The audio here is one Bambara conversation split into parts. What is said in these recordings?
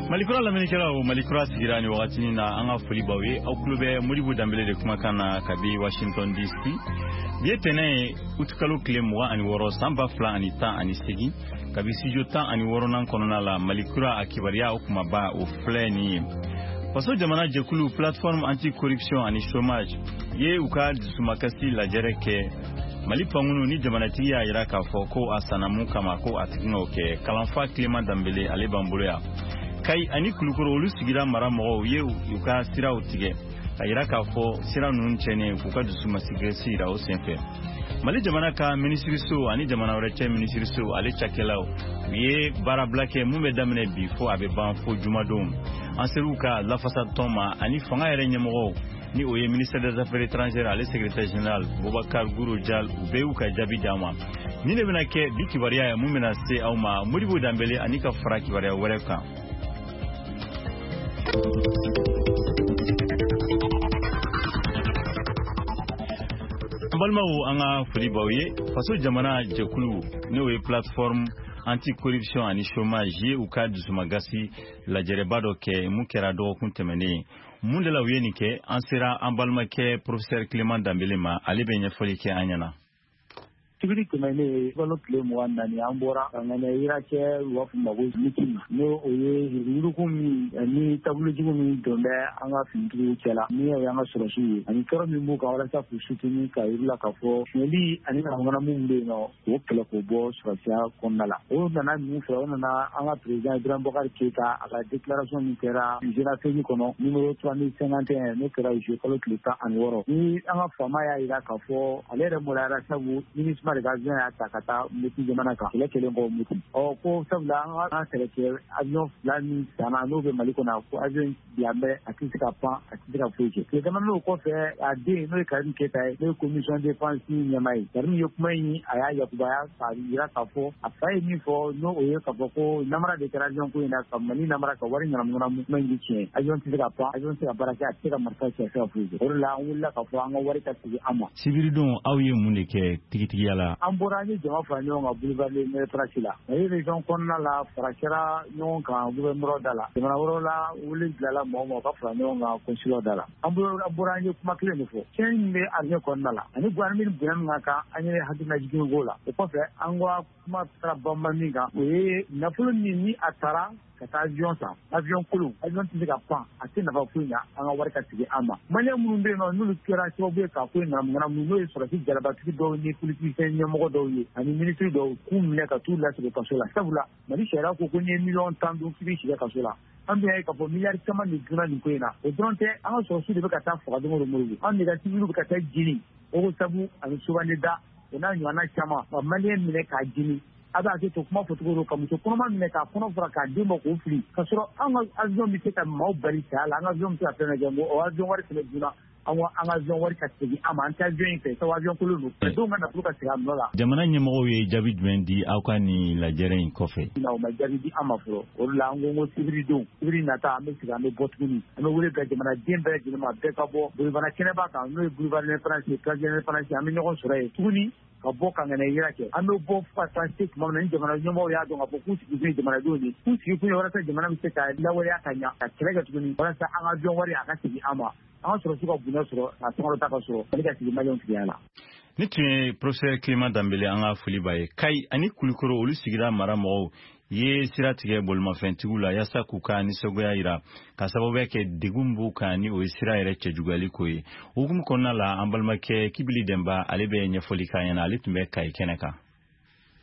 Malikura lamɛnnikɛlaw, Malikura sigira ni wagatinin na. An ka foli b'aw ye. Aw tulo bɛ Modibo Danbele de kumakan na kabi Washington DC. Bi ye tɛnɛ ye, utikalo tile 26, san 2018, kabi studio 16nan kɔnɔna la. Malikura a kibaruya, o kumaba o filɛ nin ye: Faso jamana jɛkulu Plateforme anti corruption ani chômage ye u ka dusumakasi lajɛrɛ kɛ. Mali pankunu ni jamanatigi y'a yira k'a fɔ ko a sanna mun kama, ko a tigi n'o kɛ. Kalanfa Tilema Danbele, ale b'an bolo yan. Kayi ani Kulukoro, olu sigira mara mɔgɔw ye u ka siraw tigɛ ka yira k'a fɔ sira ninnu tiɲɛnen, k'u ka dusumasigasi yira o senfɛ. Mali jamana ka minisiriso ani jamana wɛrɛ cɛ minisiriso ale cakɛlaw, u ye baarabila kɛ mun bɛ daminɛ bi fo a bɛ ban fo jumadon. An ser'u ka lafasatɔn ma ani fanga yɛrɛ ɲɛmɔgɔw, ni o ye ministère des Affaires étrangères ale secrétaire général Boubacar Gouro Dial, u bɛɛ y'u ka jaabi d'an ma. Nin de bɛna kɛ bi kibaruya ye mun bɛna se aw ma, Modibo Danbele, ani ka fara kibaruya wɛrɛ kan. An balimaw, an ka foli b'aw ye. Faso jamana jɛkulu, n'o ye Plateforme anti-corruption ani chômage ye, u ka dusumagasi lajɛrɛba dɔ kɛ mun kɛra dɔgɔkun tɛmɛnen. Mun de la u ye nin kɛ? An sera an balimakɛ professeur Clément Danbele ma, ale bɛ ɲɛfɔli kɛ an ɲɛna. Sibiri tɛmɛnen, kalo tile 24, an bɔra ka ŋaniya yira kɛ, u b'a fɔ ma ko meeting, n'o o ye yurugu min ni taabolojugu min don bɛ an ka finitigiw cɛla, ni o y'an ka sɔrɔsiw ye, ani tɔɔrɔ min b'u kan, walasa k'u soutenir, ka yir'u la k'a fɔ sonyɛli ani ŋanamu min bɛ yen nɔ, k'o kɛlɛ k'o bɔ sɔrɔsiya kɔnɔna la. O nana min fɛ, o nana an ka président Ibrahim Boubacar Keïta, a ka déclaration min kɛra Jeune Afrique kɔnɔ, numéro 3051, n'o kɛra juillet kalo tile 16, ni an ka faama y'a yira k'a fɔ ale yɛrɛ maloyara, sabu MINUSMA de ka avion y'a ta ka taa Mopti jamana kan, kɛlɛ kɛlen kɔ Mopti. Ɔ ko sabula an ka kɛlɛkɛ avion fila min sanna, n'o bɛ Mali kɔnɔ, ko avion bila bɛ, a tɛ se ka pan, a tɛ se ka foyi kɛ. Tile damadɔ o kɔfɛ, a den, n'o ye Karim Keita ye, n'o ye commission défense ɲɛmaa ye, Karim ye kuma in, a y'a yakubaya k'a yira k'a fɔ a fa ye min fɔ, n'o o ye k'a fɔ ko namara de kɛra avion ko in na, ka Mali namara, ka wari ŋanamu ŋanamu. Kuma in tɛ tiɲɛ. Avion tɛ se ka pan, avion tɛ se ka baara kɛ, a tɛ se ka marifa ci, a tɛ se ka foyi kɛ. O de la an wulila k'a fɔ an ka wari ka segin an ma. Sibiridon, aw ye mun de kɛ tigitigiya la? An bɔra, an ye jama fara ɲɔgɔn kan boulevard l'Indépendance la. Mali région kɔnɔna la, fara kɛra ɲɔgɔn kan gouverneur da la. Jamana wɛrɛw la, wele bilala mɔgɔ ma ka fara ɲɔgɔn kan consulat da la. An bɔra, an ye kuma kelen de fɔ: tiɲɛ min bɛ armée kɔnɔna la ani armée ni bonya min ka kan, an ye hakilina k'o la. O kɔfɛ, an ka kuma taara banba min kan, o ye nafolo min ni a taara ka taa avion san, avion kolon, avion tɛ se ka pan, a tɛ nafa foyi ɲa, an ka wari ka segin an ma. Maliyɛn minnu bɛ yen nɔ, n'olu kɛra sababu ye k'a ko in ŋanamu ŋanamu, n'o ye sɔrɔsi jalabatigi dɔw ni politicien ɲɛmɔgɔ dɔw ye ani minisiri dɔw, k'u minɛ ka t'u lasegin kaso la, sabula Mali sariya ko ko n'i ye miliyɔn 10 dun, k'i b'i sigi kaso la. An bɛ ye k'a fɔ miliyari caman de dunna nin ko in na. O dɔrɔn tɛ, an ka sɔrɔsiw de bɛ ka taa faga don o don. Moribo, an de ka civils bɛ ka taa jeni Ogossagou ani Sobane Da, o n'a ɲɔgɔnna caman, ka maliyɛn minɛ k'a jeni. A bɛ hakɛ to kuma fɔcogo don, ka muso kɔnɔma minɛ k'a kɔnɔ fara, k'a den bɔ k'o fili, ka sɔrɔ an ka avion bɛ se ka maaw bali saya la, an ka avion bɛ se ka fɛn bɛɛ kɛ. O avion wari fɛnɛ dunna. An ko an ka avion wari ka segin an ma. An tɛ avion in fɛ, sabu avion kolon don. Denw ka nafolo ka segin a nɔ la. Jamana ɲɛmɔgɔw ye jaabi jumɛn di aw ka nin lajɛrɛ in kɔfɛ? O ma jaabi di an ma fɔlɔ. O de la an ko ko sibiri don, sibiri nata, an bɛ segin, an bɛ bɔ tuguni. An bɛ wele bila jamanaden bɛɛ lajɛlen ma, bɛɛ ka bɔ Bolibana kɛnɛba kan, n'o ye boulevard l'Indépendance ye, place de l'Indépendance. An bɛ ɲɔgɔn sɔrɔ yen tuguni ka bɔ ka ŋaniya yira kɛ. An bɛ bɔ fo ka taa se tuma min na ni jamana ɲɛmɔgɔw y'a dɔn k'a fɔ k'u sigi kun ye jamanadenw ye, k'u sigi kun ye walasa jamana bɛ se ka lawaleya ka ɲa, ka kɛlɛ kɛ tuguni walasa an ka avion wari a ka segin an ma, an ka sɔrɔsiw ka bonya sɔrɔ, ka sankɔrɔta ka sɔrɔ, ale ka sigi maliyɛnw tigiya la. Ni tun ye professeur Clément Danbele, an ka foli b'a ye. Kayi ani Kulikoro, olu sigira mara mɔgɔw ye sira tigɛ bolimafɛntigiw la yaasa k'u ka nisɔngoya yira, ka sababuya kɛ degun b'u kan, ni o ye sira yɛrɛ cɛjuguyali ko ye. Hukumu kɔnɔna la, an balimakɛ Kibili Dɛnba, ale bɛ ɲɛfɔli k'an ɲɛna, ale tun bɛ Kayi kɛnɛ kan.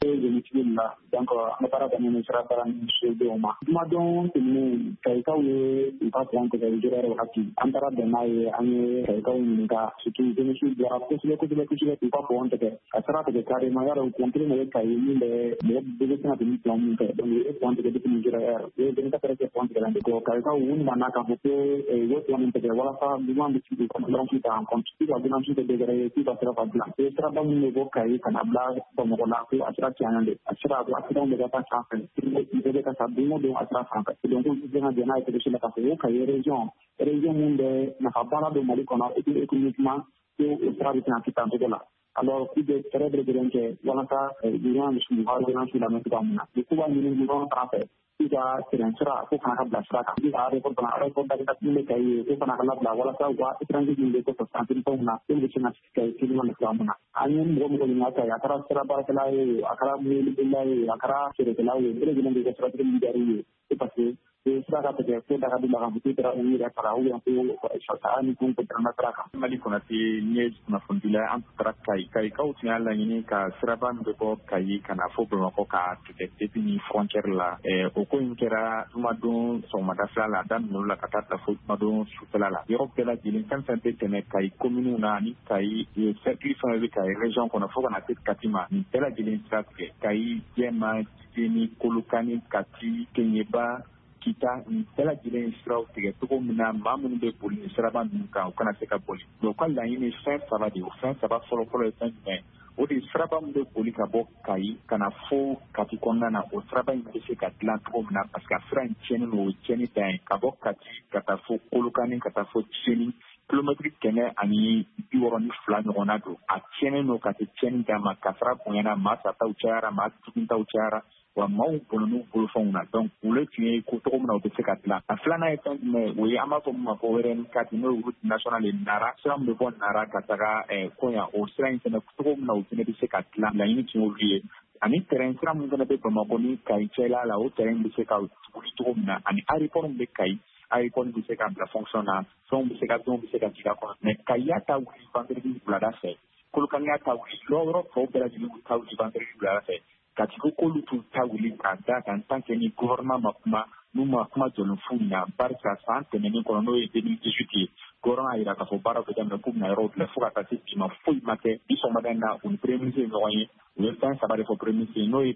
Tigi la, donc an ka baara daminɛ sira baara ni sodenw ma. Jumadon tɛmɛnen, Kayikaw ye u ka pont tigɛ yɛrɛ wagati, an taara bɛn n'a ye, an ye Kayikaw ɲininka, surtout jeunesse bɔra kosɛbɛ kosɛbɛ kosɛbɛ k'u ka pont tigɛ, ka sira tigɛ carrément. Y'a dɔn, pont kelen de bɛ Kayi min bɛ mɔgɔ bɛɛ bɛ se ka tɛmɛ pont min fɛ. Donc u ye pont tigɛ depuis Nigeria, u ye 24 heures kɛ pont tigɛ la. Donc Kayikaw, u nana k'a fɔ ko u bɛ pont nin tigɛ walasa gouvernement bɛ se k'u ka doléance ta en compte, k'u ka doléance tɛ dɔwɛrɛ ye k'u ka sira ka dilan. Siraba min bɛ bɔ Kayi ka na bila Bamakɔ la, ko a sira tiɲɛnen don, a sira ko accident bɛ ka taa sanfɛ, bɛɛ bɛ ka sa don o don a sira sanfɛ. Donc k'u tɛ se ka jɛn n'a ye cogo si la k'a fɔ ko Kayi région, région mun bɛ nafa la don Mali kɔnɔ et puis économiquement, ko o sira bɛ se ka kɛ tan cogo la. Alors k'u bɛ fɛɛrɛ bɛɛ lajɛlen kɛ walasa gouvernement bɛ se k'u ka doléance lamɛn cogoya min na. K'u b'a ɲini gouvernement fana fɛ k'u ka terrain sira ko fana ka bila sira kan. Ka aéroport fana, aéroport dakita min bɛ Kayi, ko fana ka labila walasa u ka étranger min bɛ kɔfɛ sanfɛ fɛnw na, olu bɛ se ka sigi Kayi teliman na cogoya min na. An ye mɔgɔ ɲininka Kayi, a kɛra sira baarakɛla ye, a kɛra mobilibolila ye, a kɛra feerekɛla ye, bɛɛ lajɛlen bɛ kɛ siratigi min diyar'u ye, c'est parce que sira ka tigɛ ko daga d'u la k'a fɔ k'u taara u yɛrɛ faga ou bien ko saya ni fɛnw tɛmɛna sira kan. Mali Konate ne ye kunnafonidila, an taara Kayi. Kayikaw tun y'a laɲini ka siraba min bɛ bɔ Kayi ka na fo Bamakɔ k'a tigɛ depuis ni frontière la. O ko in kɛra jumadon sɔgɔmada fila la, a daminɛ la ka taa bila fo jumadon sufɛla la. Yɔrɔ bɛɛ lajɛlen, fɛn fɛn bɛ tɛmɛ Kayi commune na ani Kayi cercle, fɛn fɛn bɛ Kayi région kɔnɔ fo ka na se Kati ma, nin bɛɛ lajɛlen sira tigɛ. Kayi, Jɛma, Jeni, Kolokani, Kati, Keɲeba, Kita, nin bɛɛ lajɛlen siraw tigɛ cogo min na maa minnu bɛ boli ni siraba ninnu kan, u kana se ka boli. Mais u ka laɲini fɛn saba de ye. O fɛn saba fɔlɔ-fɔlɔ ye fɛn jumɛn? O de ye siraba min bɛ boli ka bɔ Kayi ka na fo Kati kɔnɔna na, o siraba in bɛ se ka dilan cogo min na, parce que a sira in tiɲɛnen don, o ye tiɲɛni dan ye. Ka bɔ Kati ka taa fo Kolokani, ka taa fo Seni, kilomɛtiri 162 ɲɔgɔnna don. A tiɲɛnen don ka se tiɲɛni dan ma, kasara bonyana, maa sataw cayara, maa juguntaw cayara, wa maaw bɔnɛn'u bolofɛnw na. Donc olu tun ye ko cogo min na u bɛ se ka dilan. A filanan ye fɛn jumɛn? O ye an b'a fɔ min ma ko RN4, n'o ye route nationale ye, Nara sira min bɛ bɔ Nara ka taga Kɔɲa, o sira in fɛnɛ cogo min na o fɛnɛ bɛ se ka dilan, laɲini tun y'olu ye. Ani terrain sira min fɛnɛ bɛ Bamakɔ ni Kayi cɛla la, o terrain bɛ se ka wuli cogo min na, ani aéroport min bɛ Kayi, aéroport bɛ se ka bila fonction na, fɛnw bɛ se ka dɔw bɛ se ka jigin a kɔnɔ. Mais Kayi y'a ta wuli vendredi wulada fɛ, Kolokani y'a ta wuli, yɔrɔ tɔw bɛɛ lajɛlen y'u ta wuli vendredi wulada fɛ. Kati ko k'olu t'u ta wuli k'a da kan tant que ni gouvernement ma kuma, n'u ma kuma jɔlen f'u ɲɛna, barisa san tɛmɛnen kɔnɔ, n'o ye 2018 ye, gouvernement y'a jira k'a fɔ baaraw bɛ daminɛ, k'u bɛna yɔrɔw dilan, fo ka taa se bi ma foyi ma kɛ. Bi sɔgɔmada in na, u ni premier ministre ye ɲɔgɔn ye, u ye fɛn saba de fɔ premier ministre ye, n'o ye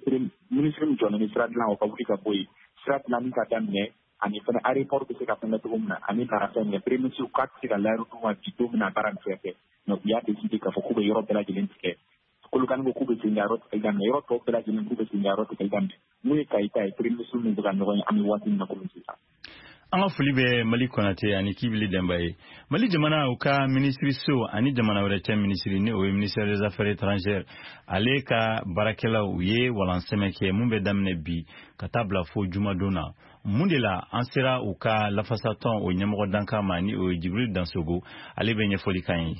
ministre min jɔlen bɛ sira dilan, o ka wuli ka bɔ yen, sira dilanni ka daminɛ, ani fana aéroport bɛ se ka fɛn kɛ cogo min na, ani baara fɛn min premier ministre k'a tɛ se ka layiru d'u ma bi don min na baara nin fɛn kɛ. Mais u y'a décidé k'a fɔ k'u bɛ yɔrɔ bɛɛ lajɛlen tigɛ. Kolokani ko k'u bɛ segin ka yɔrɔ tigɛli daminɛ, yɔrɔ tɔw bɛɛ lajɛlen k'u bɛ segin ka yɔrɔ tigɛli daminɛ. N'o ye Kayi ta ye, premier ministre min bɛ ka ɲɔgɔn ye an bɛ waati min na komi sisan. An ka foli bɛ Mali Konate ani Kibili Denba ye. Mali jamana u ka minisiriso ani jamana wɛrɛ cɛ minisiri, ni o ye ministère des Affaires étrangères, ale ka baarakɛlaw, u ye walansɛmɛ kɛ mun bɛ daminɛ bi ka taa bila fo jumadon na. Mun de la an sera u ka lafasatɔn o ɲɛmɔgɔ dankan ma, ni o ye Jibril Dansogo, ale bɛ ɲɛfɔli kan ye.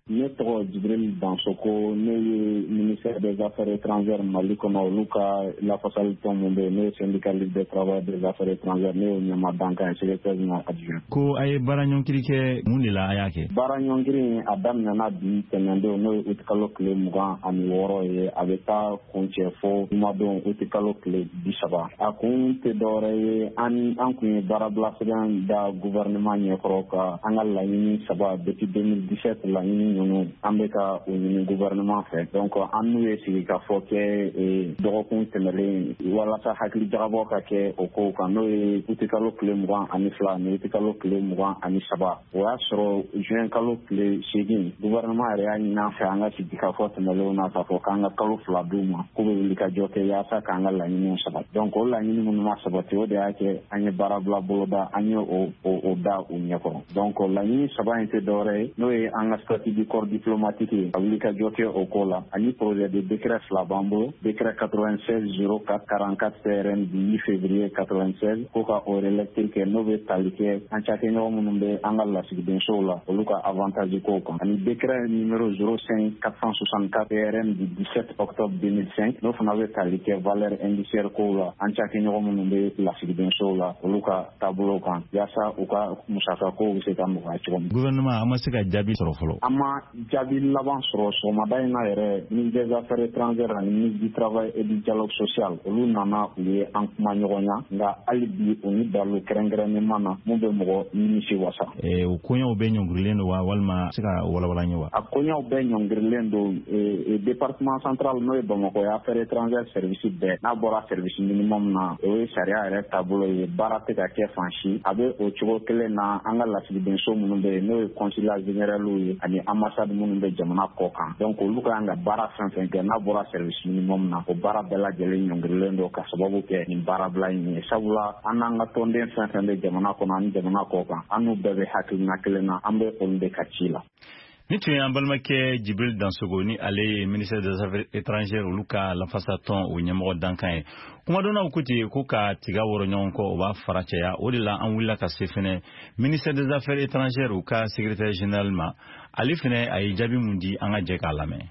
Ne tɔgɔ Jibril Dansoko, ne ye ministère des Affaires étrangères Mali kɔnɔ, olu ka lafasali tɔn mun bɛ yen, ne ye syndicat libre des travailleurs des affaires étrangères, ne y'o ɲɛmaa dankan ye, secrétaire général adjoint. Ko a ye baara ɲɔngiri kɛ, mun de la a y'a kɛ? Baara ɲɔngiri a daminɛna bi tɛnɛndon, n'o ye uti kalo tile 26 ye, a bɛ taa kuncɛ fo jumadon uti kalo tile 30. A kun tɛ dɔwɛrɛ ye, an kun ye baarabila sɛbɛn da gouvernement ɲɛkɔrɔ ka an ka laɲini saba depuis 2017 laɲini ninnu an bɛ ka o ɲini gouvernement fɛ. Donc an n'u ye sigi ka fɔ kɛ dɔgɔkun tɛmɛlen walasa hakili jagabɔ ka kɛ o kow kan, n'o ye uti kalo tile 22 ani uti kalo tile 23. O y'a sɔrɔ juin kalo tile 8, gouvernement yɛrɛ y'a ɲini an fɛ an ka sigi ka fɔ tɛmɛlenw na k'a fɔ k'an ka kalo 2 d'u ma k'u bɛ wuli ka jɔ kɛ yaasa k'an ka laɲiniw sabati. Donc o laɲini minnu ma sabati, o de y'a kɛ an ye baarabila boloda, an ye o da u ɲɛkɔrɔ. Donc laɲini saba in tɛ dɔwɛrɛ ye, n'o ye an ka statut du corps diplomatique ye, ka wuli ka jɔ kɛ o ko la, ani projet de décret fila b'an bolo, décret 96 04 44 CRN du 8 février 96, ko ka o relecture kɛ, n'o bɛ tali kɛ an cakɛɲɔgɔn minnu bɛ an ka lasigidensow la, olu ka avantage kow kan, ani décret numéro 05 464 CRN du 17 octobre 2005, n'o fana bɛ tali kɛ valeur indiciaire kow la, an cakɛɲɔgɔn minnu bɛ lasigidensow la, olu ka taabolo kan, yaasa u ka musaka kow bɛ se ka nɔgɔya cogo min. Gouvernement, an ma se ka jaabi sɔrɔ fɔlɔ. An ma jaabi laban sɔrɔ. Sɔgɔmada in na yɛrɛ, ministre des Affaires étrangères ani ministre du Travail et du Dialogue social, olu nana, u ye an kuma ɲɔgɔnya, nka hali bi u ni dalu kɛrɛnkɛrɛnnen ma na mun bɛ mɔgɔ nimisi wasa. O koɲɛw bɛɛ ɲɔngirilen don wa, walima se ka walawala ye wa? A koɲɛw bɛɛ ɲɔngirilen don. Département central, n'o ye Bamakɔ ye, affaires étrangères service bɛɛ, n'a bɔra service minimum na, o ye sariya yɛrɛ taabolo ye, baara tɛ ka kɛ fan si. A bɛ o cogo kelen na an ka lasigidenso minnu bɛ yen, n'o ye consulat général ye ani ambassade minnu bɛ jamana kɔ kan. Donc olu ka kan ka baara fɛn fɛn kɛ n'a bɔra service minimum na, o baara bɛɛ lajɛlen ɲɔngirilen don ka sababu kɛ nin baarabila in ye. Sabula an n'an ka tɔnden fɛn fɛn bɛ jamana kɔnɔ ani jamana kɔ kan, an n'u bɛɛ bɛ hakilina kelen na, an bɛ olu de ka ci la. Ni tun ye an balimakɛ Jibril Dansogo, ni ale ye ministère des Affaires étrangères olu ka lafasatɔn o ɲɛmɔgɔ dankan ye. Kumadɔnnaw ko ten ko ka tiga wɔrɔ ɲɔgɔn kɔ, o b'a fara caya. O de la an wulila ka se fɛnɛ ministère des Affaires étrangères u ka secrétaire général ma. Ale fɛnɛ a ye jaabi mun di, an ka jɛ k'a lamɛn.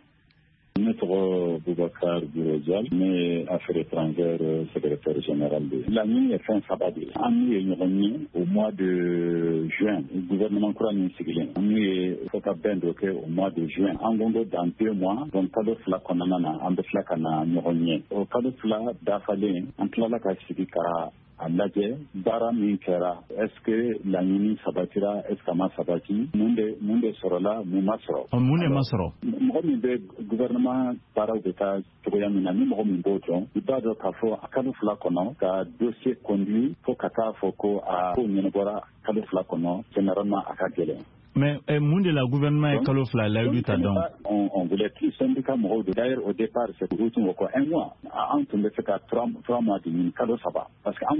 Ne tɔgɔ Boubacar Gourodial, ne ye Affaires étrangères secrétaire général de ye. Laɲini ye fɛn saba de ye. An n'u ye ɲɔgɔn ye au mois de juin, gouvernement kura min sigilen, an n'u ye fɔ ka bɛn dɔ kɛ au mois de juin. An ko ko dans 2 mois, donc kalo 2 kɔnɔna na, an bɛ tila ka na ɲɔgɔn ye. O kalo 2 dafalen, an tilala ka sigi ka a lajɛ baara min kɛra, est ce que laɲini sabatira, est ce que a ma sabati, mun de sɔrɔla, mun ma sɔrɔ. Mun de ma sɔrɔ? Mɔgɔ min bɛ gouvernement baaraw bɛ taa cogoya min na, ni mɔgɔ min b'o dɔn, i b'a dɔn k'a fɔ a kalo 2 kɔnɔ ka dossier conduit fo ka taa fɔ ko a ko ɲɛnabɔra kalo 2 kɔnɔ, généralement a ka gɛlɛn. Mais mun de la gouvernement ye kalo 2 layidu ta donc? On voulait plus, syndicat mɔgɔw de. D'ailleurs, au départ, c'est u tun ko ko un mois, an tun bɛ se ka 3 mois de ɲini, kalo 3, parce que an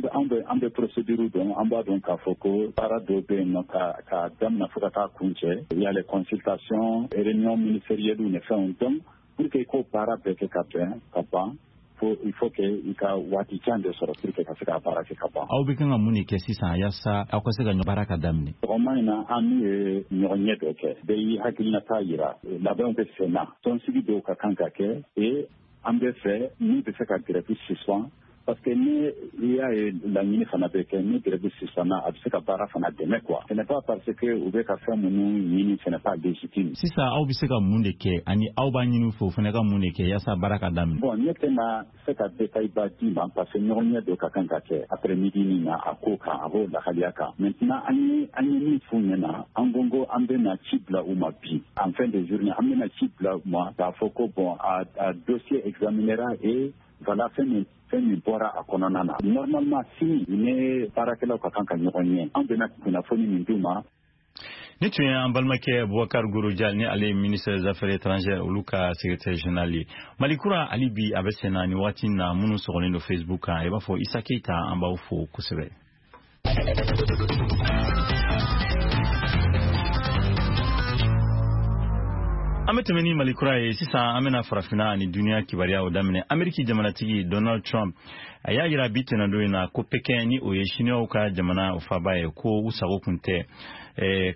bɛ procédure dɔn, an b'a dɔn k'a fɔ ko baara dɔw bɛ yen nɔ ka daminɛ fo ka taa kun cɛ, il y a les consultations, réunions ministérielles ni fɛnw. Donc pour que ko baara bɛɛ kɛ ka bɛn ka ban, il faut que i ka waati jan de sɔrɔ pour que ka se ka baara kɛ ka ban. Aw bɛ kan ka mun de kɛ sisan yaasa aw ka se ka baara ka daminɛ? Sɔgɔma in na, an n'u ye ɲɔgɔn ɲɛ dɔ kɛ, bɛɛ y'i hakilinata yira, labɛnw bɛ sen na, tɔnsigi dɔw ka kan ka kɛ et an bɛ fɛ min bɛ se ka grève suspend, parce que ni i y'a ye laɲini fana bɛ kɛ, ni grève suspend a bɛ se ka baara fana dɛmɛ quoi. Ce n'est pas parce que u bɛ ka fɛn minnu ɲini, ce n'est pas légitime. Sisan aw bɛ se ka mun de kɛ, ani aw b'a ɲini fɛ o fana ka mun de kɛ yaasa baara ka daminɛ? Bon, ne tɛna se ka détail ba d'i ma parce que ɲɔgɔn ɲɛ dɔ ka kan ka kɛ après midi min na a ko kan, a b'o lahaliya kan. Maintenant, an ye min f'u ɲɛna, an ko an bɛna ci bila u ma bi en fin de journée, an bɛna ci bila u ma k'a fɔ ko bon, a dossier examinera et voilà fɛn min bɔra a kɔnɔna na. Normalement sini ne baarakɛlaw ka kan ka ɲɔgɔn ɲɛ, an bɛna kunnafoni min d'u ma. Ni tun ye an balimakɛ Bubakar Gorojal, ni ale ye ministre des Affaires étrangères olu ka secrétaire général ye. Mali kura hali bi a bɛ sen na ni waati na. Minnu sɔgɔlen don Facebook kan, i b'a fɔ Isa Keyita, an b'aw fo kosɛbɛ. An bɛ tɛmɛ ni Mali kura ye sisan. An bɛna farafinna ani duniya kibaruyaw daminɛ. Ameriki jamanatigi Donald Trump a y'a yira bi tɛnɛndon in na ko Pekin, ni o ye Siniwaw ka jamana faba ye, ko u sago kun tɛ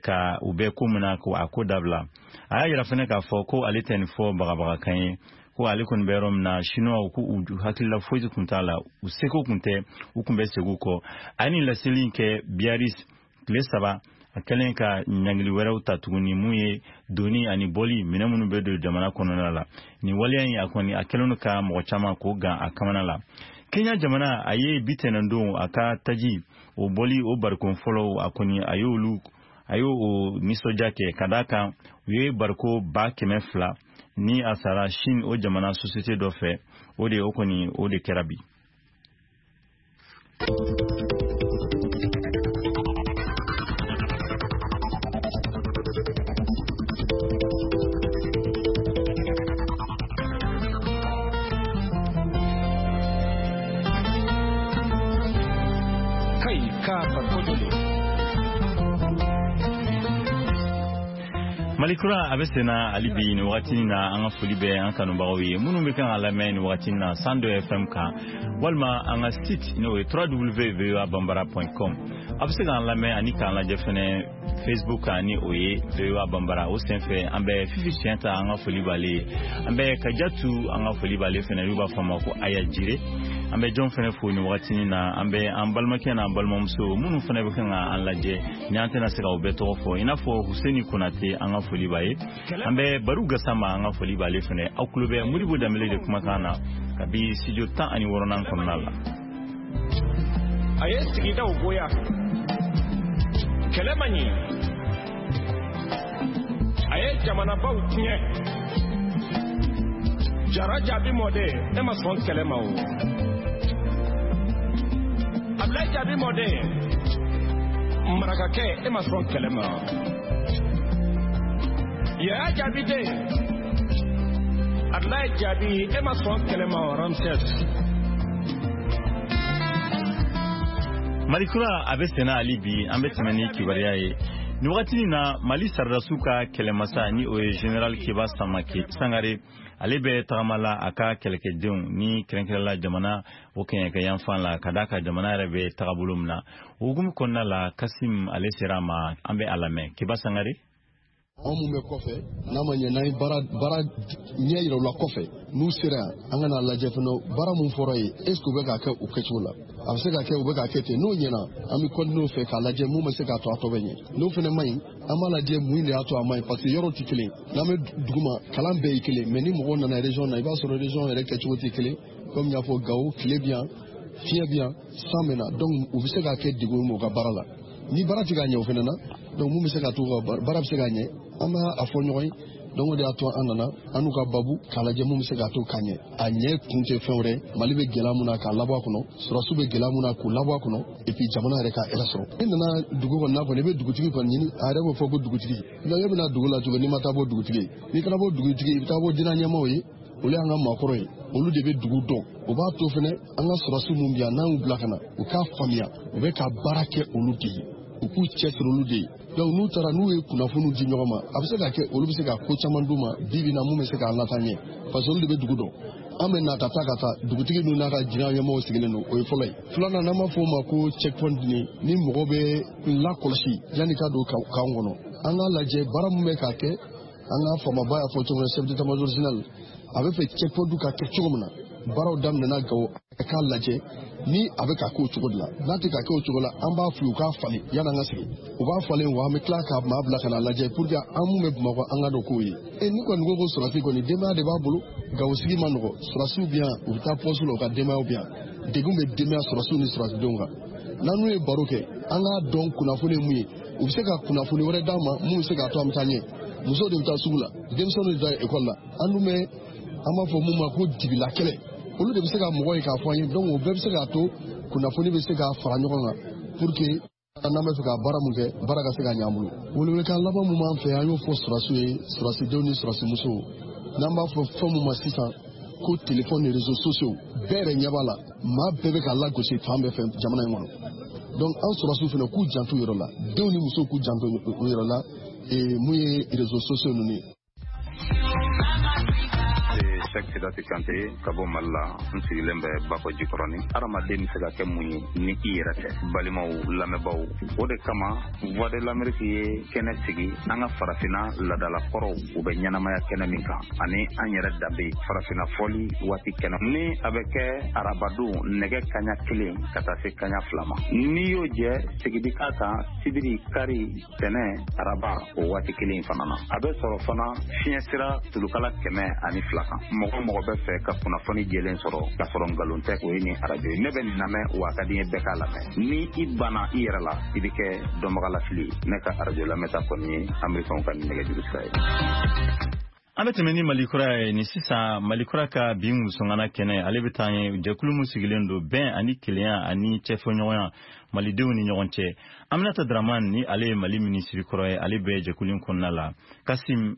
ka u bɛ ko min na, ko a ko dabila. A y'a yira fɛnɛ k'a fɔ ko ale tɛ nin fɔ bagabagakan ye, ko ale kɔni bɛ yɔrɔ min na, Siniwaw ko u hakilila foyi kun t'a la, u seko kun tɛ, u kun bɛ segin u kɔ. A ye nin laseli in kɛ Biarritz tile 3 a kɛlen ka ɲangili wɛrɛw ta tuguni, mun ye doni ani bɔli minɛ minnu bɛ don jamana kɔnɔna la. Nin waleya in, a kɔni a kɛlen ka mɔgɔ caman k'o gan a kamana la. Kenya jamana a ye bi tɛnɛndon a ka taji o bɔli o barikon fɔlɔw, a kɔni a y'olu a y'o o nisɔndiya kɛ ka d'a kan u ye bariko 200,000 ni a sara Chine o jamana société dɔ fɛ. O de o kɔni o de kɛra bi. Kai ka farko. Malikura a bɛ senna hali bi nin wagati na. An ka foli bɛ an kanubagaw ye minnu bɛ kan ka lamɛn nin wagati na 102 FM kan, walima an ka site n'o ye www.voabambara.com. A bɛ se k'an lamɛn ani k'an lajɛ fɛnɛ Facebook kan, ni o ye VOA Bambara. O senfɛ, an bɛ Fifi Siɲɛta, an ka foli b'ale ye. An bɛ Kajatu, an ka foli b'ale fɛnɛ, n'u b'a fɔ a ma ko Aya Jire. An bɛ jɔn fɛnɛ fo nin wagati na? An bɛ an balimakɛ n'an balimamuso minnu fɛnɛ bɛ kan ka an lajɛ, ni an tɛna se k'aw bɛɛ tɔgɔ fɔ, i n'a fɔ Huseni Konate, an ka foli b'a ye. An bɛ Baru Gasama, an ka foli b'ale fɛnɛ. Aw tulo bɛ Modibo Danbele de kumakan na kabi studio 16nan kɔnɔna la. A ye sigidaw goya, kɛlɛ ma ɲi, a ye jamanabaw tiɲɛ. Jara Jaabi mɔden, e ma sɔn kɛlɛ ma o. Abilayi Jaabi mɔden, marakakɛ, e ma sɔn kɛlɛ ma. Yaya Jaabi den, Abilayi Jaabi, e ma sɔn kɛlɛ ma Ramses. Malikura a bɛ senna hali bi. An bɛ tɛmɛ ni kibaruya ye. Nin wagati na, Mali sɔrɔdasiw ka kɛlɛmasa, ni o ye Général Keba Samake Sangare, ale bɛ tagama la a ka kɛlɛkɛdenw ni kɛrɛnkɛrɛnla jamana o kɛɲɛkɛ yanfan la, ka d'a ka jamana yɛrɛ bɛ tagabolo min na. O hukumu kɔnɔna la, Kasim ale sera a ma, an bɛ a lamɛn. Keba Sangare. Anw mun bɛ kɔfɛ, n'a ma ɲɛ n'an ye baara baara ɲɛ yira u la kɔfɛ, n'u sera yan, an ka n'a lajɛ fana, baara mun fɔra ye, est ce que u bɛ k'a kɛ o kɛcogo la? A bɛ se ka kɛ u bɛ k'a kɛ ten. N'o ɲɛna, an bɛ continuer o fɛ k'a lajɛ mun bɛ se k'a to a tɔ bɛ ɲɛ. N'o fana ma ɲi, an b'a lajɛ mun de y'a to a ma ɲi, parce que yɔrɔw tɛ kelen. N'an bɛ dugu ma, kalan bɛɛ ye kelen, mais ni mɔgɔw nana région na, i b'a sɔrɔ région yɛrɛ kɛcogo tɛ kelen. Comme n y'a fɔ, Gawo, tile bɛ yan, fiɲɛ bɛ yan, san bɛ na, donc u bɛ se k'a kɛ degun ye u ka baara la. Ni baara tɛ ka ɲɛ o fana na, donc mun bɛ se ka to ka baara bɛ se ka ɲɛ, an b'a a fɔ ɲɔgɔn ye. Donc o de y'a to an nana an n'u ka babu k'a lajɛ mun bɛ se k'a to ka ɲɛ. A ɲɛ kun tɛ fɛn wɛrɛ, Mali bɛ gɛlɛya mun na, k'a labɔ a kɔnɔ, sɔrɔdasiw bɛ gɛlɛya mun na, k'u labɔ a kɔnɔ, et puis jamana yɛrɛ ka hɛrɛ sɔrɔ. I nana dugu kɔnɔ kɔni, i bɛ dugutigi kɔni ɲini, a yɛrɛ b'o fɔ ko dugutigi. Donc e bɛna dugu la cogo n'i ma taa bɔ dugutigi ye? N'i taara bɔ dugutigi, i bɛ taa bɔ diinɛ ɲɛmaaw ye, olu y'an ka maakɔrɔ ye, olu de bɛ dugu dɔn. O b'a to fɛnɛ an ka sɔrɔdasiw mun bɛ yan, n'an y'u bila ka na, u k'a faamuya u bɛ ka baara kɛ olu de ye, u k'u cɛsiri olu de ye. Donc n'u taara, n'u ye kunnafoniw di ɲɔgɔn ma, a bɛ se ka kɛ olu bɛ se ka ko caman d'u ma bi bi in na mun bɛ se k'an lataa ɲɛ, parce que olu de bɛ dugu dɔn. An bɛ na ka taa ka taa dugutigi ninnu n'a ka jinɛ ɲɛmɔgɔw sigilen don, o ye fɔlɔ ye. Filanan, n'an b'a fɔ o ma ko checkpoint, ni mɔgɔ bɛ lakɔlɔsi yanni ka don camp kɔnɔ, an k'a lajɛ baara mun bɛ k'a kɛ. An ka faamaba y'a fɔ cogo min na, chef d'état major général, a bɛ fɛ checkpoint ka kɛ cogo min na, baaraw daminɛna Gawo, a k'a lajɛ ni a bɛ ka k'o cogo de la. N'a tɛ ka kɛ o cogo la, an b'a f'u ye u k'a falen yanni an ka sigi. U b'a falen wa, an bɛ tila ka maa bila ka na lajɛ pour que an mun bɛ Bamakɔ, an ka dɔn k'o ye. E ni kɔni ko ko sɔrɔdasi kɔni, denbaya de b'a bolo. Gawo sigi ma nɔgɔ, sɔrɔdasiw bɛ yan, u bɛ taa poste la, u ka denbayaw bɛ yan, degun bɛ denbaya sɔrɔdasiw ni sɔrɔdasidenw kan. N'an n'u ye baro kɛ, an k'a dɔn kunnafoni ye mun ye, u bɛ se ka kunnafoni wɛrɛ d'an ma mun bɛ se k'a to an bɛ taa ɲɛ. Musow de bɛ taa sugu la, denmisɛnninw de bɛ taa ekɔli la, an dun bɛ an b'a fɔ mun ma ko dibila kɛlɛ, olu de bɛ se ka mɔgɔ ye k'a fɔ an ye. Donc o bɛɛ bɛ se k'a to kunnafoni bɛ se ka fara ɲɔgɔn kan pour que n'an bɛ fɛ ka baara mun kɛ, baara ka se ka ɲɛ an bolo. Welewelekan laban mun b'an fɛ, an y'o fɔ sɔrɔdasiw ye, sɔrɔdasidenw ni sɔrɔdasimusow, n'an b'a fɔ fɛn mun ma sisan ko téléphone ni réseaux sociaux, bɛɛ yɛrɛ ɲɛ b'a la, maa bɛɛ bɛ ka lagosi fan bɛɛ fɛ jamana in kɔnɔ. Donc an sɔrɔdasiw fana k'u janto u yɛrɛ la, denw ni musow k'u janto u yɛrɛ la, mun ye réseaux sociaux ninnu ye. Cheick Sidati Kante ka bɔ Mali la, n sigilen bɛ Bakɔ Jikɔrɔni. Hadamaden bɛ se ka kɛ mun ye ni i yɛrɛ tɛ? Balimaw, lamɛnbaw, o de kama Voix de l'Amérique ye kɛnɛ sigi an ka farafinna ladalakɔrɔw, u bɛ ɲɛnamaya kɛnɛ min kan, ani an yɛrɛ danbe farafinna fɔli waati kɛnɛ ni a bɛ kɛ arabadon nɛgɛ kaɲa 1 ka taa se kaɲa 2 ma. N'i y'o jɛ, segin k'a kan sibiri, kari, tɛnɛ, araba, o waati kelen fana na. A bɛ sɔrɔ fana fiɲɛ sira tulukala 102 kan. Mɔgɔ mɔgɔ bɛ fɛ ka kunnafoni jɛlen sɔrɔ k'a sɔrɔ nkalon tɛ, o ye nin arajo ye. Ne bɛ nin lamɛn wa a ka di n ye bɛɛ k'a lamɛn. Ni i banna i yɛrɛ la, i bɛ kɛ dɔnbagalafili ye. Ne ka arajo lamɛnta kɔni ye Amerikɛnw ka nɛgɛjuru sira ye. An bɛ tɛmɛ ni Mali kura ye ni sisan. Mali kura ka bi musongana kɛnɛ, ale bɛ taa ye jɛkulu min sigilen don bɛn ani kelenya ani cɛfɔɲɔgɔnya malidenw ni ɲɔgɔn cɛ. Aminata Dramane, ni ale ye Mali minisiri kɔrɔ ye, ale bɛ jɛkulu in kɔnɔna la. Kasim.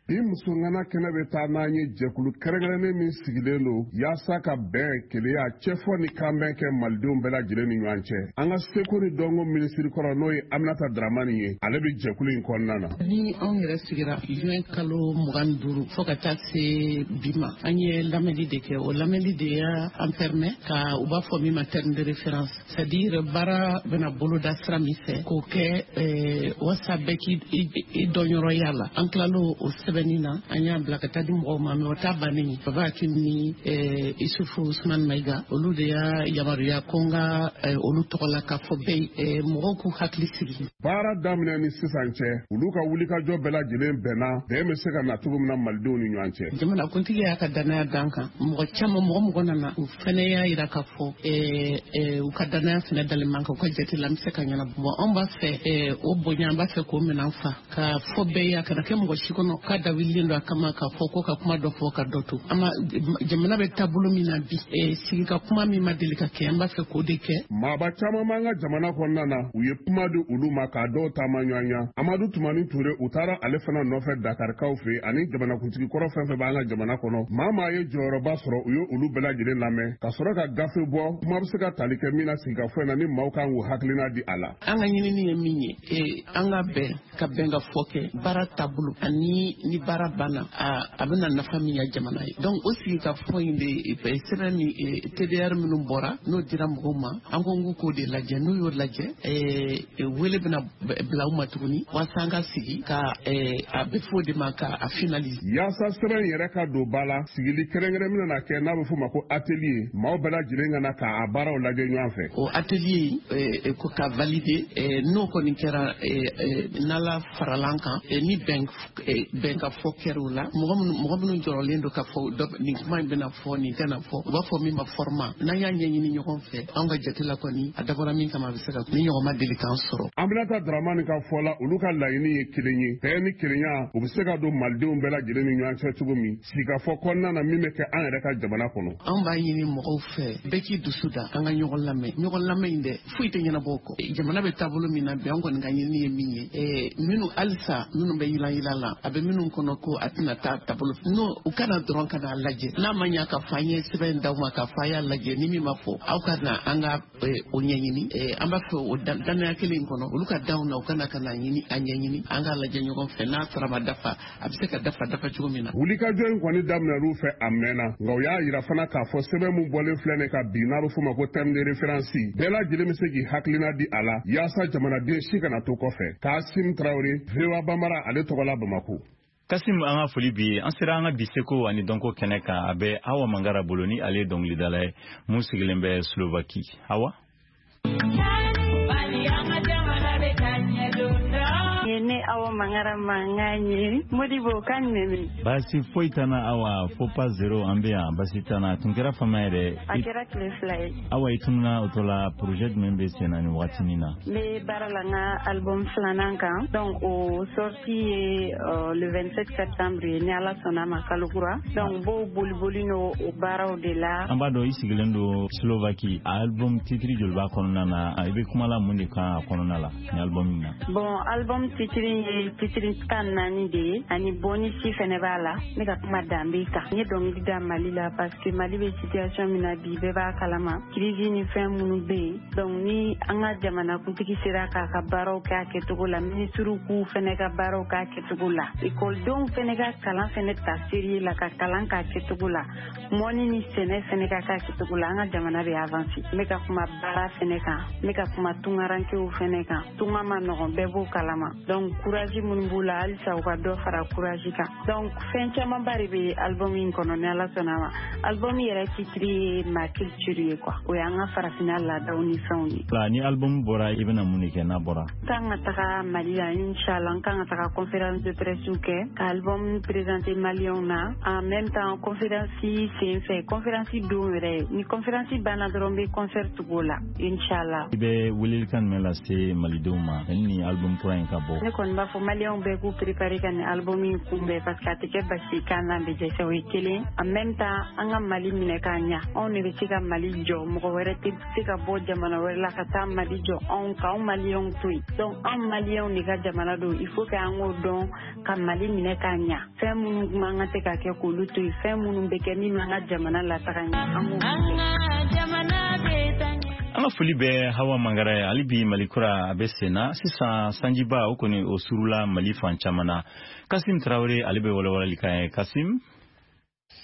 Bi musongana kɛnɛ bɛ taa n'an ye jɛkulu kɛrɛnkɛrɛnnen min sigilen don yaasa ka bɛn, keleya, cɛfɔ ni kanbɛn kɛ malidenw bɛɛ lajɛlen ni ɲɔgɔn cɛ. An ka seko ni dɔnko minisiri kɔrɔ, n'o ye Aminata Dramani ye, ale bɛ jɛkulu in kɔnɔna na. Ni anw yɛrɛ sigira juin kalo 25 fo ka taa se bi ma, an ye lamɛnli de kɛ. O lamɛnli de y'a an permet ka u b'a fɔ min ma terme de référence, c'est à dire baara bɛna boloda sira min fɛ k'o kɛ wasa bɛɛ k'i dɔnyɔrɔya la. An tilal'o o sɛbɛnni na, an y'a bila ka taa di mɔgɔw ma. Mais o ta bannen, Baba Akim ni Isufu Usman Mayiga, olu de y'a yamaruya ko n ka olu tɔgɔ la k'a fɔ bɛɛ mɔgɔw k'u hakili sigi. Baara daminɛ ni sisan cɛ, olu ka wulikajɔ bɛɛ lajɛlen bɛnna bɛn bɛ se ka na cogo min na malidenw ni ɲɔgɔn cɛ. Jamanakuntigi y'a ka danaya d'an kan. Mɔgɔ caman, mɔgɔ mɔgɔ nana, u fɛnɛ y'a yira k'a fɔ u ka danaya fɛnɛ dalen man kan, u ka jate la an bɛ se ka ɲɛnabɔ. Bon, anw b'a fɛ o bonya, an b'a fɛ k'o minɛn fa k'a fɔ bɛɛ ye, a kana kɛ mɔgɔ si kɔnɔ k'a dawulilen don a kama k'a fɔ ko ka kuma dɔ fɔ ka dɔ to. An ma jamana bɛ taabolo min na bi, sigi ka kuma min ma deli ka kɛ, an b'a fɛ k'o de kɛ. Maaba caman b'an ka jamana kɔnɔna na, u ye kuma di olu ma k'a dɔw taama ɲɔgɔn. Amadu Tumani Ture, u taara ale fana nɔfɛ Dakarikaw fɛ, ani jamanakuntigi kɔrɔ fɛn fɛn b'an ka jamana kɔnɔ. Maa maa ye jɔyɔrɔba sɔrɔ, u ye olu bɛɛ lajɛlen lamɛn ka sɔrɔ ka gafe bɔ, kuma bɛ se ka tali kɛ min na sigikafɔ in na, ni maaw kan k'u hakilina di a la. An ka ɲinini ye min ye, an ka bɛn ka bɛn ka fɔ kɛ baara taabolo ani ni baara banna, a bɛna nafa min ya jamana ye. Donc o sigikafɔ in de sɛbɛn min TDR minnu bɔra, n'o dira mɔgɔw ma, an ko n k'o de lajɛ. N'u y'o lajɛ, wele bɛna bila u ma tuguni walasa an ka sigi ka a bɛ fɔ o de ma ka a finaliser. Yaasa sɛbɛn yɛrɛ ka don ba la, sigili kɛrɛnkɛrɛn min na kɛ n'a bɛ f'o ma ko atelier, maaw bɛɛ lajɛlen ka na k'a baaraw lajɛ ɲɔgɔn fɛ. O atelier ko ka valider, n'o kɔni kɛra, n'Ala farala an kan, ni bɛn ka fɔ kɛra o la, mɔgɔ minnu jɔrɔlen don ka fɔ nin kuma in bɛna fɔ, nin tɛna fɔ, u b'a fɔ min ma format. N'an y'a ɲɛɲini ɲɔgɔn fɛ, anw ka jate la kɔni, a dabɔra min kama, a bɛ se ka ni ɲɔgɔn ma deli k'an sɔrɔ. Aminata Dramani ka fɔ la, olu ka laɲini ye kelen ye, bɛn ni kelenya, u bɛ se ka don malidenw bɛɛ lajɛlen ni ɲɔgɔn cɛ cogo min sigikafɔ kɔnɔna na min bɛ kɛ an yɛrɛ ka jamana kɔnɔ. Anw b'a ɲini mɔgɔw fɛ, bɛɛ k'i dusu da, an ka ɲɔgɔn lamɛn. Ɲɔgɔn lamɛn in dɛ, foyi tɛ ɲɛnabɔ o kɔ. Jamana bɛ taabolo min na bi, an kɔni ka ɲinini ye min ye, minnu halisa minnu bɛ yilan la, a bɛ minnu kɔnɔ ko a tɛna taa taabolo, n'o u kana dɔrɔn ka n'a lajɛ. N'a ma ɲa ka fɔ an ye sɛbɛn d'aw ma k'a fɔ a y'a lajɛ, ni min ma fɔ, aw ka na an ka o ɲɛɲini. An b'a fɛ o danaya kelen in kɔnɔ, olu ka d'anw na, u kana ka na ɲini a ɲɛɲini, an k'a lajɛ ɲɔgɔn fɛ. N'a sara ma dafa, a bɛ se ka dafa cogo min na. Wulikajɔ in kɔni daminɛr'u fɛ a mɛnna, nka u y'a yira fana k'a fɔ sɛbɛn min bɔlen filɛ nin ka bi, n'a bɛ f'o ma ko terme de référence, bɛɛ lajɛlen bɛ se k'i hakilina di a la yaasa jamanaden si kana to kɔfɛ. Kasim Tarawele, VOA Bambara, ale tɔgɔ la Bamako. Kasim, an ka foli bi. An sera an ka bi seko ani dɔnko kɛnɛ kan, a bɛ Awa Mangara bolo, ni ale ye dɔnkilidala ye mun sigilen bɛ Slovaquie. Awa. Ne Awa Mangara mankan ye Modibo kan jumɛn? Baasi foyi t'an na Awa, fo pas zéro, an bɛ yan, baasi t'an na. Tun kɛra fama yɛrɛ. A kɛra tile 2 ye. Awa, i tununa o tɔ la, projet jumɛn bɛ sen na nin wagatinin na? N bɛ baara la n ka album filanan kan, donc o sortie ye le 27 septembre ye, ni Ala sɔnna ma, kalo kura. Donc n b'o boliboli n'o o baaraw de la. An b'a dɔn i sigilen don Slovaquie. Album titre joli b'a kɔnɔna na? I bɛ kuma la mun de kan a kɔnɔna la ni album in na? Bon, album titre ye titre 14 de ye, ani bonus fɛnɛ b'a la. Ne ka kuma danbe kan. N ye dɔnkili da Mali la parce que Mali bɛ situation min na bi, bɛɛ b'a kalama, crise ni fɛn minnu bɛ yen. Donc ni an ka jamanakuntigi sera k'a ka baaraw kɛ a kɛcogo la, minisiriw k'u fɛnɛ ka baaraw k'a kɛcogo la, ekɔlidenw fɛnɛ ka kalan fɛnɛ ta sérieux la, ka kalan k'a kɛcogo la, mɔni ni sɛnɛ fɛnɛ ka k'a kɛcogo la, an ka jamana bɛ avancer. N bɛ ka kuma baara fɛnɛ kan, n bɛ ka kuma tungarankew fɛnɛ kan. Tunga ma nɔgɔn, bɛɛ b'o kalama. Donc courage minnu b'u la, halisa u ka dɔ fara courage kan. Donc fɛn camanba de bɛ album in kɔnɔ, ni Ala sɔnna ma. Album yɛrɛ titre ye ma culture ye quoi, o y'an ka farafinna laadaw ni fɛnw ye. La ni album bɔra, i bɛna mun de kɛ n'a bɔra? N kan ka taga Mali la, inchallah. N kan ka taga conférence de presse kɛ ka album présenter maliyɛnw na. En même temps, conférence sen fɛ, conférence don yɛrɛ, ni conférence banna dɔrɔn, n bɛ concert tugu o la, inchallah. I bɛ welelikan jumɛn lase malidenw ma ni album kura in ka bɔ? Ne kɔni b'a fɔ maliyɛnw bɛɛ k'u préparer ka nin album in kunbɛn, parce que a tɛ kɛ basi k'an n'an bɛ dɛsɛ, o ye kelen. En même temps, an ka Mali minɛ k'a ɲa, anw de bɛ se ka Mali jɔ, mɔgɔ wɛrɛ tɛ se ka bɔ jamana wɛrɛ la ka taa Mali jɔ anw k'anw maliyɛnw to yen. Donc anw maliyɛnw de ka jamana don, il faut que an k'o dɔn ka Mali minɛ k'a ɲa. Fɛn minnu man kan tɛ ka kɛ, k'olu to yen, fɛn minnu bɛ kɛ min b'an ka jamana lataga ɲɛ, an k'o kɛ. An ka foli bɛ Hawa Mangara ye. Hali bi Mali kura a bɛ sen na sisan, sanjiba o kɔni o surula Mali fan caman na. Kasim Tarawele, ale bɛ walawalali kan ye. Kasim.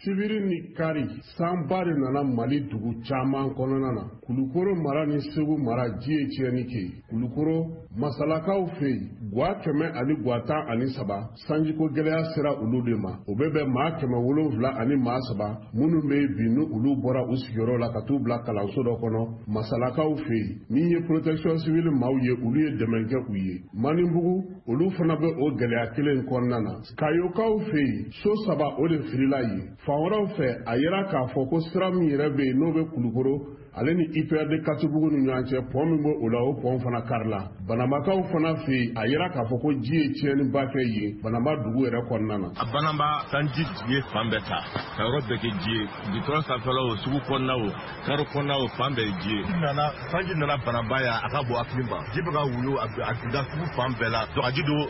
Sibiri ni kari, sanba de nana Mali dugu caman kɔnɔna na. Kulukoro mara ni Segu mara, ji ye tiɲɛni kɛ. Kulukoro Masalakaw fɛ yen, gwa 113, sanjiko gɛlɛya sera olu de ma. O bɛ bɛn maa 703 minnu bɛ yen bi, ni olu bɔra u sigiyɔrɔ la ka t'u bila kalanso dɔ kɔnɔ Masalakaw fɛ yen. Min ye protection civile maaw ye, olu ye dɛmɛ kɛ u ye. Manibugu, olu fana bɛ o gɛlɛya kelen kɔnɔna na. Kayokaw fɛ yen, so saba o de filila yen. Fan wɛrɛw fɛ, a yira k'a fɔ ko sira min yɛrɛ bɛ yen, n'o bɛ Kulukoro Ale ni IPRD Katibugu ni ɲɔgɔn cɛ, pont min b'o o la, o pont fana karila. Banambakaw fana fɛ yen, a yira k'a fɔ ko ji ye tiɲɛniba kɛ yen Banamba dugu yɛrɛ kɔnɔna na. A Banamba, sanji ye fan bɛɛ ta ka yɔrɔ bɛɛ kɛ ji ye, goudron sanfɛla o, sugu kɔnɔna o, karo kɔnɔna o, fan bɛɛ ye ji ye. Nana sanji nana Banamba yan, a ka bon hakili ma, ji bɛ ka wuyo, a da sugu fan bɛɛ la. Donc a ji don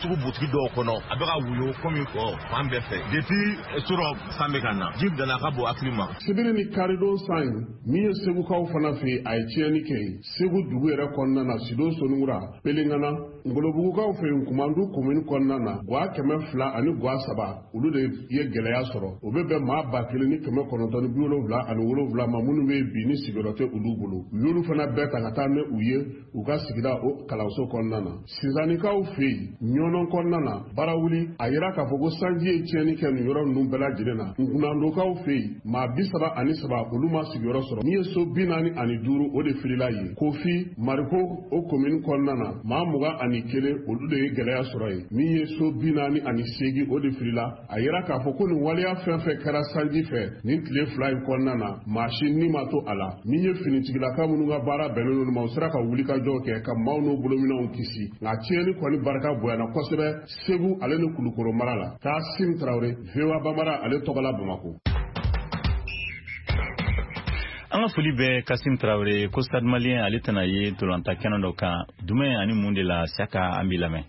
sugu butigi dɔw kɔnɔ, a bɛ ka wuyo komi kɔ fan bɛɛ fɛ. Depuis surɔ san bɛ ka na, ji nana, a ka bon hakili ma. Sibiri ni karidon san in min ye Segukaw fana fɛ yen, a ye tiɲɛni kɛ yen Segu dugu yɛrɛ kɔnɔna na, Sido, Soningura, Pelengana. Ngolobugukaw fɛ yen, Kumandu komini kɔnɔna na, gwa 200 ani gwa 3, olu de ye gɛlɛya sɔrɔ. O bɛ bɛn maa 1977 ma minnu bɛ bi ni sigiyɔrɔ tɛ olu bolo. U y'olu fana bɛɛ ta ka taa ni u ye u ka sigida o kalanso kɔnɔna na. Sinzanikaw fɛ yen, Ɲɔnɔn kɔnɔna na, Barawuli, a yira k'a fɔ ko sanji ye tiɲɛni kɛ nin yɔrɔ ninnu bɛɛ lajɛlen na. Nkunandokaw fɛ yen, maa 33, olu ma sigiyɔrɔ sɔrɔ. Min ye so 45, o de filila yen. Kofi Mariko o komini kɔnɔna na, maa 21, olu de ye gɛlɛya sɔrɔ yen. Min ye so 48, o de filila. A yira k'a fɔ ko nin waleya fɛn fɛn kɛra sanji fɛ nin tile 2 in kɔnɔna na, maa si ni ma to a la. Min ye finitigilaka minnu ka baara bɛnnen don ma, u sera ka wulikajɔ kɛ ka maaw n'u bolominɛnw kisi, nka tiɲɛni kɔni barika bonyana kosɛbɛ Segu ale ni Kulukoro mara la. Kasim Tarawele, VOA Bambara ale tɔgɔla, Bamako. An ka foli bɛ Kasim Tarawele. Ko Stade Malien ale tɛna ye ntolanta kɛnɛ dɔ kan jumɛn ani mun de la? Saka, an b'i lamɛn.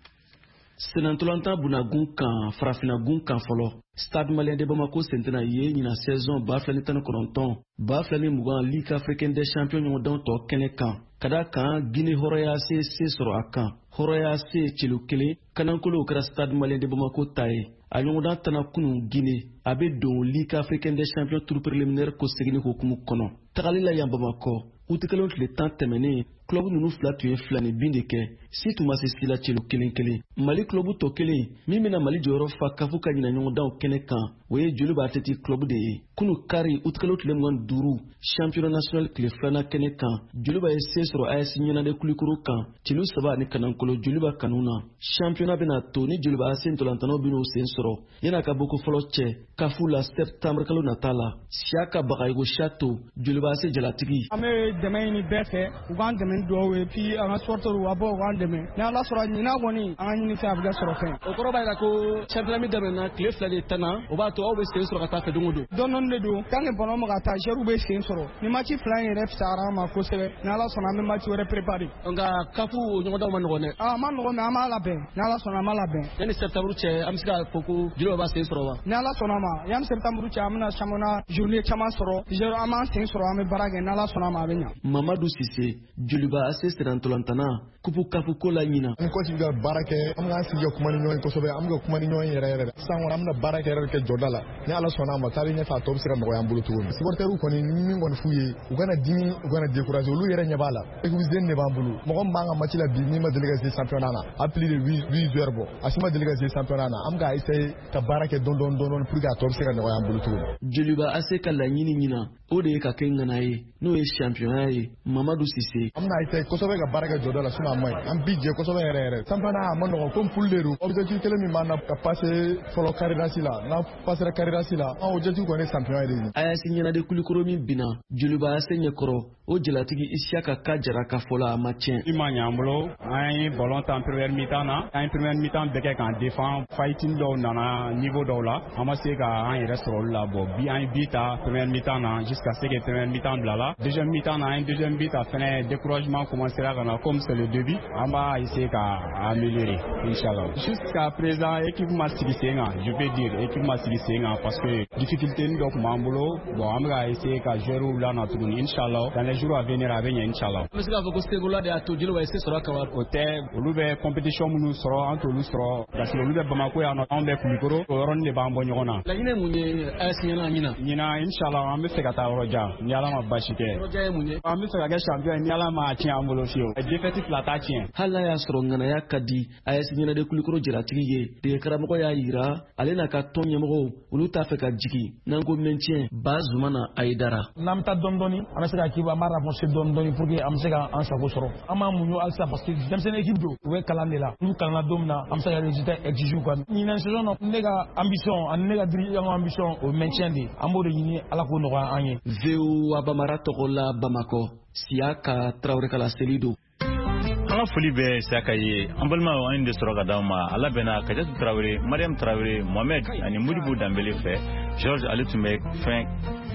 Senantolantan bunagun kan, farafinagun kan fɔlɔ, Stade Malien de Bamako sen tɛna ye ɲina saison 2019 2020 Ligue africaine des champions ɲɔgɔndanw tɔ kɛnɛ kan, ka da kan Guinée Hɔrɔnya se se sɔrɔ a kan. Hɔrɔnya se celu 1 kanankolo kɛra Stade Malien de Bamako ta ye. A ɲɔgɔndan tana kunu Guinée, a bɛ don Ligue africaine des champions tour préliminaire ko seginni hukumu kɔnɔ. Tagali la yan Bamakɔ, utikalo tile 10 tɛmɛnen, club ninnu fila tun ye 2 ni bin de kɛ, si tun ma se si la, celu 1-1. Mali club tɔ kelen min bɛna Mali jɔyɔrɔ fa kafu ka ɲina ɲɔgɔndanw kɛnɛ kan, o ye Joliba Athletic Club de ye. Kunu kari, utikalo tile 25, championnat national tile filanan kɛnɛ kan, Joliba ye se sɔrɔ AS Ɲɛnade Kulikoro kan, celu 3 ni kanankolo Joliba kanu na. Championnat bɛna to ni Joliba AC ntolantanaw bɛn'o sen sɔrɔ yan'a ka bɔ ko fɔlɔ cɛ kafu la septembre kalo nata la. Siyaka Bagayogo Chato, Joliba AC jalatigi. An bɛ dɛmɛ ɲini bɛɛ fɛ, u k'an dɛmɛ ni dugawu ye, puis an ka supporters u ka bɔ u k'an dɛmɛ. Ni Ala sɔrɔ ɲinan kɔni, an ka ɲini fɛn a bɛ kɛ sɔrɔ fɛn. O kɔrɔ b'a jira ko championnat min daminɛna tile 2 de tanna, o b'a to aw bɛ sen sɔrɔ ka taa fɛ don o don. Dɔɔni dɔɔni de don, tant que ballon bɛ ka taa, joueurs bɛ sen sɔrɔ. Ni match 2 in yɛrɛ fisayara an ma kosɛbɛ, ni Ala sɔnna an bɛ match wɛrɛ préparer. Nka kafu ɲɔgɔndanw ma nɔgɔn dɛ. A ma nɔgɔn, mais an b'a labɛn, ni Ala sɔnna an b'a labɛn. Yanni septembre cɛ, an bɛ se k'a fɔ ko Joliba b'a sen sɔrɔ wa? Ni Ala sɔnna ma, yanni septembre cɛ, an bɛna championnat journée caman sɔrɔ. Joueurs an b'an sen sɔrɔ, an bɛ baara kɛ, ni Ala sɔnna ma a bɛ ɲa. Mamadu Sise, Joliba AC sirantolantana, kupu kafu ko la ɲina. An coach bɛ ka baara kɛ, an bɛ k'an sigi ka kuma ni ɲɔgɔn ye kosɛbɛ, an bɛ ka kuma ni ɲɔgɔn ye yɛrɛ yɛrɛ. Sisan kɔni an bɛna baara kɛ yɛrɛ kɛ jɔda la. Ni Ala sɔnna a ma, taalen ɲɛfɛ a tɔ bɛ se ka nɔgɔya an bolo cogo min. Supporters kɔni, min kɔni f'u ye, u kana dimi, u kana décourager, olu yɛrɛ ɲɛ b'a la. Équipe jeune de b'an bolo. Mɔgɔ min b'an ka match la bi, min ma deli ka se championnat na, a plus de 8 joueurs bɔ. A si ma deli ka se championnat na. An bɛ ka essayer ka baara kɛ dɔɔni dɔɔni dɔɔni pour que a tɔ bɛ se ka nɔgɔya an bolo cogo min. Joliba AC ka laɲini ɲina, o de ye ka kɛ ŋana ye, n'o ye championnat ye. Mamadu Sise. An bɛna essayer kosɛbɛ ka baara kɛ jɔda la, sinon a ma ɲi. An bi jɛ kosɛbɛ yɛrɛ yɛrɛ. Championnat a ma nɔgɔn comme poule de don. Objectif kelen min b'an na, ka passer fɔlɔ carré d'as la. N'an passera carré d'as la, an objectif kɔni ye champion de ye. AS Ɲɛnade Kulikoro min binna Joliba AC ɲɛkɔrɔ, o jalatigi Isiyaka Ka Jara ka fɔ la, a ma tiɲɛ. I ma ɲɛ an bolo, an ye ballon tan première mi-temps na, an ye première mi-temps bɛɛ kɛ k'an défend. Fighting dɔw nana niveau dɔw la, an ma se ka an yɛrɛ sɔrɔ olu la. Bon, bi an ye but ta première mi-temps na jusqu'à ce que première mi-temps bila la. Deuxième mi-temps na, an ye deuxième but ta fɛnɛ, découragement commencera ka na. Comme c'est le début, an b'a essayer ka améliorer inchallah. Jusqu'à présent, équipe ma sigi sen kan, je peux dire équipe ma sigi sen kan parce que difficulté dɔ tun b'an bolo. Bon, an bɛ ka essayer ka joueurs lana tuguni, inchallah dans les jours à venir a bɛ ɲɛ inchallah. An bɛ se k'a fɔ ko Sebola de y'a to Joliba ye se sɔrɔ a kan wa? O tɛ, olu bɛ compétition minnu sɔrɔ, an t'olu sɔrɔ parce que olu bɛ Bamako yan nɔ, anw bɛ Kulukoro, o yɔrɔnin de b'an bɔ ɲɔgɔn na. Laɲini ye mun ye AS Ɲɛna ɲina? Ɲina inchallah an bɛ fɛ ka taa yɔrɔ jan ni Ala ma basi kɛ. Yɔrɔ jan ye mun ye? An bɛ fɛ ka kɛ champion ye ni Ala ma tiɲɛ an bolo fiyewu. Défaite 2 t'a tiɲɛ. Hali n'a y'a sɔrɔ ŋanaya ka di AS Ɲɛnade Kulikoro jalatigi ye, dege karamɔgɔ y'a yira ale n'a ka tɔn ɲɛmɔgɔw, olu t'a fɛ ka jigin n'an ko maintien. Bazumana Ayidara. N'an bɛ taa dɔɔni dɔɔni, an bɛ se ka équipe an b'a renforcer dɔɔni dɔɔni pour que an bɛ se ka an sago sɔrɔ. An b'an muɲu halisa parce que denmisɛnnin équipe don, u bɛ kalan de la. N'u kalanna don min na, an bɛ se ka résultat exiger quoi. Ɲinan saison na, ne ka ambition ani ne ka dirigeant ka ambition, o maintien de, an b'o de ɲini, Ala k'o nɔgɔya an ye. VOA Bambara tɔgɔ la Bamakɔ, Siyaka Tarawele ka laseli don. An ka foli bɛ Siyaka ye. An balimaw, an ye de sɔrɔ ka d'aw ma. A labɛnna Kajatu Tarawele, Mariam Tarawele, Mohamed ani Modibo Danbele fɛ. George, ale tun bɛ fɛn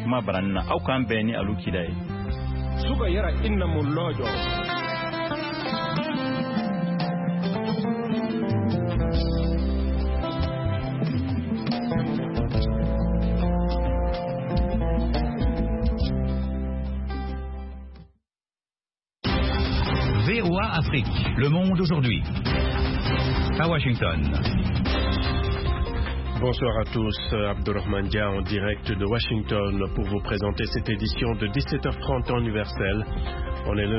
kuma baranin na. Aw k'an bɛn ni alu kida ye. Suka yara inna mo lɔjɔ. VOA Afrique, le monde aujourd'hui. À Washington. Bonsoir à tous, Abdulrahman Dia en direct de Washington pour vous présenter cette édition de 17h30 temps universel. On est